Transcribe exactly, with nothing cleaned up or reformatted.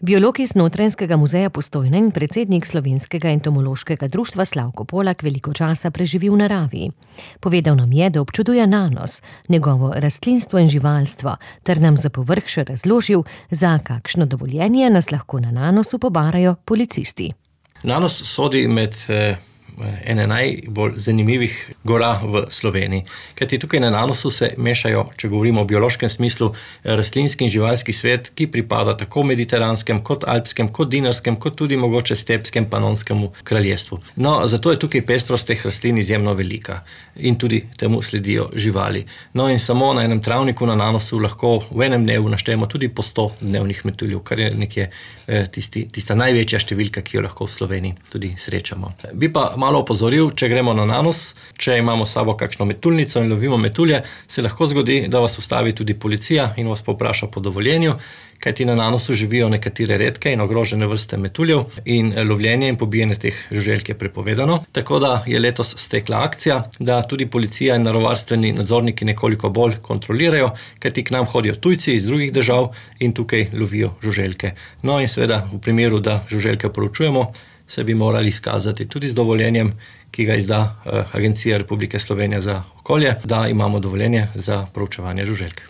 Biolog iz Notranjskega muzeja Postojna in predsednik Slovenskega entomološkega društva Slavko Polak veliko časa preživi v naravi. Povedal nam je, da občuduje nanos, njegovo rastlinstvo in živalstvo, ter nam za povrh še razložil, za kakšno dovoljenje nas lahko na nanosu pobarajo policisti. Nanos sodi med eh, ene najbolj zanimivih gora v Sloveniji. Kajti tukaj na nanosu se mešajo, če govorimo o biološkem smislu, rastlinski in živalski svet, ki pripada tako mediteranskem, kot alpskem, kot dinarskem, kot tudi mogoče stepskem panonskemu kraljestvu. No, zato je tukaj pestrost teh rastlin izjemno velika in tudi temu sledijo živali. No in samo na enem travniku na nanosu lahko v enem dnevu naštejemo tudi po sto dnevnih metuljev, kar je nekje eh, tisti, tista največja številka, ki jo lahko v Sloveniji tudi srečamo. Bi pa malo opozoril, če gremo na nanos, če imamo s sabo kakšno metuljnico in lovimo metulje, se lahko zgodi, da vas ustavi tudi policija in vas povpraša po dovoljenju, kajti na nanosu živijo nekatere redke in ogrožene vrste metuljev in lovljenje in pobijanje teh žuželk je prepovedano. Tako da je letos stekla akcija, da tudi policija in naravovarstveni nadzorniki nekoliko bolj kontrolirajo, kajti k nam hodijo tujci iz drugih držav in tukaj lovijo žuželke. No in seveda v primeru, da žuželke proučujemo, se bi morali izkazati tudi z dovoljenjem, ki ga izda Agencija Republike Slovenije za okolje, da imamo dovoljenje za proučevanje žuželk.